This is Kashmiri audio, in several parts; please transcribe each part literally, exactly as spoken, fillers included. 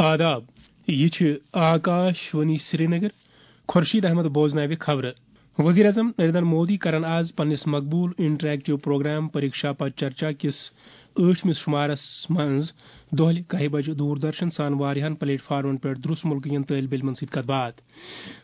آداب، یہِ چھِ آکاش وانی سرینگر۔ خورشید احمد بوزناوِ خبرٕ۔ وزیر اعظم نریندر مودی کرن آز پننِس مقبول انٹریکٹیو پروگرام پریکشا پر چرچا کِس ٲٹھمِس شمارس منٛز دۄہلہِ کاہہِ بجہِ دوردرشن سان واریاہن پلیٹ فارمن پٮ۪ٹھ دروس ملکہٕ کٮ۪ن طٲلبہِ علمن سۭتۍ کتھ باتھ۔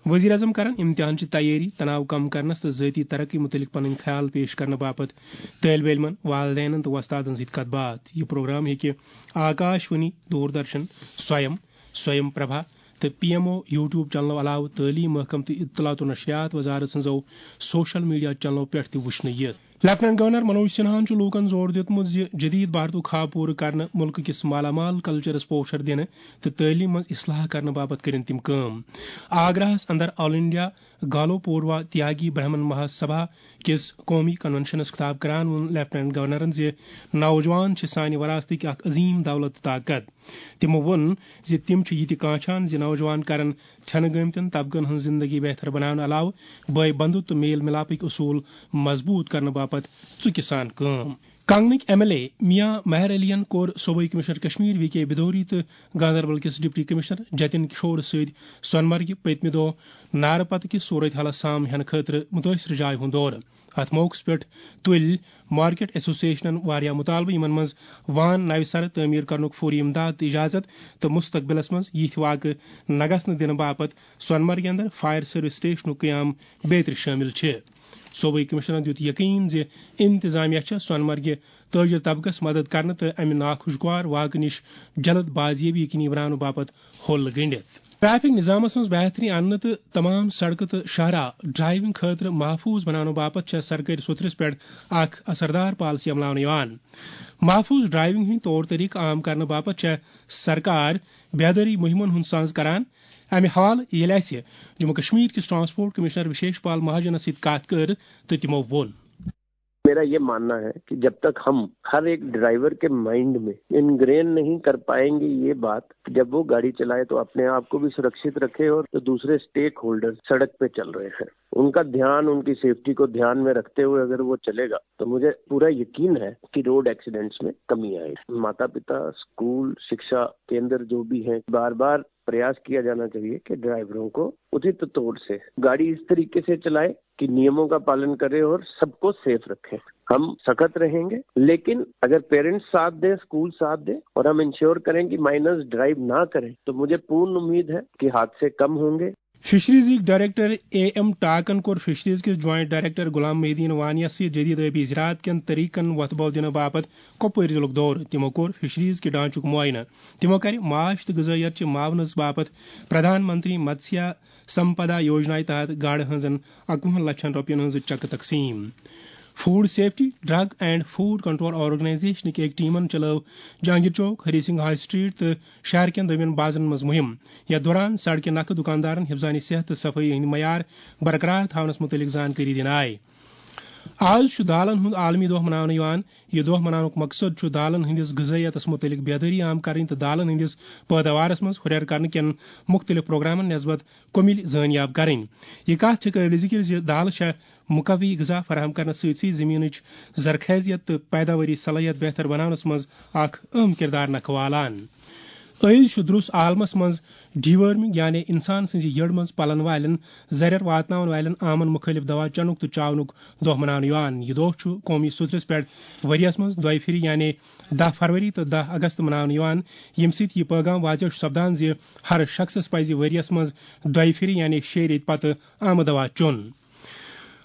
وزیر اعظم کرن امتحان چہِ تیٲری، تناو کم کرنس تہٕ ذٲتی ترقی متعلق پنٕنۍ خیال پیش کرنہٕ باپتھ طٲلبہِ علمن، والدینن تہٕ وۄستادن سۭتۍ کتھ باتھ۔ یہِ پروگرام ہیٚکہِ آکاش وانی، دوردرشن، سویم، سویم پربھا تہٕ پی ایم او YouTube چینلو علاوٕ تعلیٖم محکمہٕ تہٕ اطلاعات و نشریات وزارت سٕنٛزو سوشل میڈیا چینلو پٮ۪ٹھ تہِ وٕچھنہٕ یِتھ۔ لیفٹیننٹ گورنر منوج سنہاہن چھُ لوٗکن زور دیُتمُت زِ جدید بھارتُک خواب پوٗرٕ کرنہٕ، مُلکہٕ کِس مالا مال کلچرس پوچھر دِنہٕ تہٕ تعلیٖم منٛز اصلاح کرنہٕ باپتھ کٔرِن تِم کٲم۔ آگراہس اندر آل انڈیا گالو پوروا تیاگی برہمن مہاسبھا کِس قومی کنونشنس خطاب کران ووٚن لیفٹیننٹ گورنرن زِ نوجوان چھِ سانہِ وراثتٕکۍ اکھ عظیم دولت تہٕ طاقت۔ تِمو ووٚن زِ تِم چھِ یہِ تہِ کانچھان زِ نوجوان کرن ژھٮ۪نہٕ گٲمتٮ۪ن طبقن ہٕنٛز زندگی بہتر بناونہٕ علاوٕ بٲے بندُت تہٕ میل ملاپٕکۍ اصوٗل مضبوٗط کرنہٕ باپتھ ژُکہِ سان کٲم۔ کنگنٕکۍ ایم ایل اے میاں مہر علین کوٚر صوبٲئی کمشنر کشمیر وی کے بدوری تہٕ گاندربل کِس ڈپٹی کمشنر جتن کشورس سۭتۍ سۄنہٕ مرگہِ پٔتمہِ دۄہ نارٕ پتہٕ کِس صورت حالس سام ہینہٕ خٲطرٕ مُتٲثرٕ جایہِ ہُنٛد دورٕ۔ اتھ موقعس پٮ۪ٹھ تُلۍ مارکیٹ ایسوسیشنن واریاہ مُطالبہٕ، یِمن منٛز وان نوِ سرٕ تعمیٖر کرنُک فوری امداد تہٕ اجازت تہٕ مستقبلس منٛز یِتھۍ واقعہٕ نہ گژھنہٕ دِنہٕ باپتھ سۄنہٕ مرگہِ اندر فائر سروس سٹیشنُک قیام بیترِ شٲمِل چھِ۔ صوبٲئی کمشنرن دیُت یقین زِ انتظامیہ چھےٚ سۄنہٕ مرگہِ تٲجر طبقس مدد کرنہٕ تہٕ امہِ ناخوشگوار واقعہٕ نِش جلد بازیٲبی یقینی بناونہٕ باپتھ حل گٔنڈِتھ۔ ٹریفک نظامس منٛز بہتری اننہٕ تہٕ تمام سڑکہٕ تہٕ شاہراہ ڈرائیونگ خٲطرٕ محفوظ بناونہٕ باپتھ چھےٚ سرکٲرۍ سوٚتھرِس پٮ۪ٹھ اکھ اثردار پالیسی عملاونہٕ یِوان۔ محفوظ ڈرائیونگ ہٕنٛدۍ طور طریقہٕ عام کرنہٕ باپتھ چھےٚ سرکار بیدٲری مُہِمن ہُنٛد سنز کران۔ امہِ حوالہٕ ییٚلہِ اسہِ جموں کشمیر کِس ٹرانسپورٹ کمشنر وشیش پال مہاجنس سۭتۍ کتھ کٔر تہٕ تِمو ووٚن۔ میرا یہ ماننا ہے کہ جب تک ہم ہر ایک ڈرائیور کے مائنڈ میں انگرین نہیں کر پائیں گے یہ بات، جب وہ گاڑی چلائے تو اپنے آپ کو بھی سرکشت رکھے اور دوسرے اسٹیک ہولڈر سڑک پہ چل رہے ہیں، ان کا دھیان، ان کی سیفٹی کو دھیان میں رکھتے ہوئے اگر وہ چلے گا تو مجھے پورا یقین ہے کہ روڈ ایکسیڈنٹس میں کمی آئے گی۔ ماتا پتا، اسکول، شکشا کیندر جو بھی ہیں، بار بار پریاس کیا جانا چاہیے کہ ڈرائیوروں کو اچت طور سے گاڑی اس طریقے سے چلائے کہ نیموں کا پالن کرے اور سب کو سیف رکھے۔ ہم سخت رہیں گے، لیکن اگر پیرنٹس ساتھ دیں، اسکول ساتھ دیں اور ہم انشور کریں کہ مائنرز ڈرائیو نہ کریں تو مجھے پورن امید ہے کہ حادثے کم ہوں گے۔ فشریزٕکۍ ڈائریکٹر اے ایم ٹاکن کوٚر فشریز کِس جوائنٹ ڈائریکٹر غلام محی الدین وانیَس سۭتۍ جدید آبی زراعت کٮ۪ن طریقن وۄتھٕ بل دِنہٕ باپتھ کۄپوٲرۍ ضلعُک دورٕ۔ تِمو کوٚر فشریز کہِ ڈھانچُک معائنہٕ۔ تِمو کَرِ ماچھ تہٕ غذٲیت چہِ معاونس باپتھ پردھان منتری متسیا سمپدا یوجنا تحت گاڈٕ ہٕنٛزن اَکوُہن لچھن رۄپین ہٕنٛز چیکہٕ تقسیٖم۔ Food safety, drug and food control آرگنائزیشنٕکۍ أکۍ ٹیمن چلٲو جہانگیر چوک، ہری سنگھ ہائی اسٹریٹ تہٕ شہر کٮ۪ن دوٚیمٮ۪ن بازرن منٛز مُہِم۔ یَتھ دوران سڑکہِ نکھٕ دُکاندارن حفظان صحت تہٕ صفٲیی ہٕنٛدۍ معیار برقرار تھاونس مُتعلق زانکٲری دِنہٕ آیہِ۔ آز چھُ دالن ہُنٛد عالمی دۄہ مناونہٕ یِوان۔ یہِ دۄہ مناونُک مقصد چھُ دالن ہٕنٛدِس غذٲیتس مُتعلق بیدٲری عام کرٕنۍ تہٕ دالن ہٕنٛدِس پٲداوارس منٛز ہُرٮ۪ر کرنہٕ کٮ۪ن مُختٔلِف پروگرامن نسبت کُمِل زٲنیاب کرٕنۍ۔ یہِ کتھ چھِ قٲبلِ ذِکر زِ دالہٕ چھےٚ مقوی غذا فراہم کرنس سۭتۍ سۭتۍ زٔمیٖنٕچ زرخیزیت تہٕ پیداواری صلٲحیت بہتر بناونس منٛز اکھ اہم کردار نکھٕ والان۔ عٲیِز چھُ درُس عالمس منٛز ڈی ورمنگ، یعنی انسان سٕنٛزِ یٔڑ منٛز پلن والٮ۪ن زرٮ۪ر واتناون والٮ۪ن عامن مُخٲلف دوا چنُک تہٕ چاونُک دۄہ مناونہٕ یِوان۔ یہِ دۄہ چھُ قومی سوٚتھرِس پٮ۪ٹھ ؤریَس منٛز دۄیہِ پھِرِ، یعنی دَہ فروری تہٕ دَہ اگست مناونہٕ یِوان، ییٚمہِ سۭتۍ یہِ پٲغام واضح چھُ سپدان زِ ہر شخصس پزِ ؤریَس منٛز دۄیہِ پھِرِ، یعنی شیٚیہِ ریٚتۍ پتہٕ عامہٕ دوا چیوٚن۔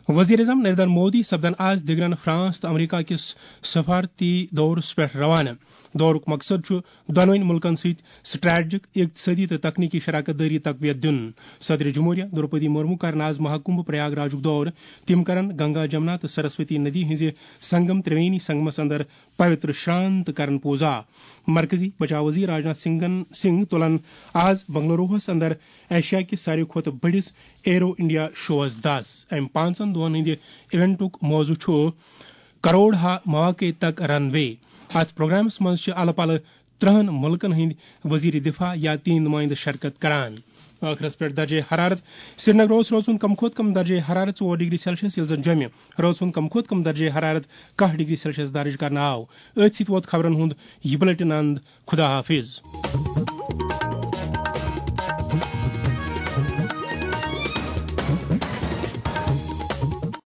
وزیر اعظم نریندر مودی سپدن آز دِگرن فرانس تہٕ امریکہ کِس سفارتی دورس پٮ۪ٹھ روانہٕ۔ دورُک مقصد چھُ دۄنوٕنۍ مُلکن سۭتۍ سٹریٹجک، اقتصٲدی تہٕ تکنیکی شراکت دٲری تقویت دیُن۔ صدر جمہوریہ درپدی مرمو کرن آز مہاکمبھ پریاگ راجُک دورٕ۔ تِم کرن گنگا، جمنا تہٕ سرسوتی ندی ہٕنٛزِ سنگم ترٛوینی سنگمس اندر پوتر شران تہٕ کرن پوزا۔ مرکزی بچاو وزیر راجناتھ سنگھن، سنگھ تُلن آز بنگلوروہس اندر ایشیا کِس ساروی کھۄتہٕ بٔڑِس ایرو انڈیا شووس دس۔ امہِ پانٛژن دۄہن ہٕنٛدِ ایونٹُک موضوع چھُ کروڑ ہا مواقع تک رن وے۔ اتھ پروگرامس منٛز چھِ الہٕ پلہٕ ترٕہن مُلکن ہٕنٛدۍ وزیر دفاع یا تِہنٛدۍ نُمٲیندٕ شرکت کران۔ ٲخرس پٮ۪ٹھ درجہ حرارت۔ سرینگر اوس رٲژ ہُنٛد کم کھۄتہٕ کم درجہ حرارت ژور ڈگری سیلسیس، ییٚلہِ زن جوٚمہِ رٲژ ہُنٛد کم کھۄتہٕ کم درجہ حرارت کاہ ڈگری سیلسیس درج کرنہٕ آو۔ أتھۍ سۭتۍ ووت خبرن ہُنٛد یہِ بلیٹن اند۔ خدا حافظ۔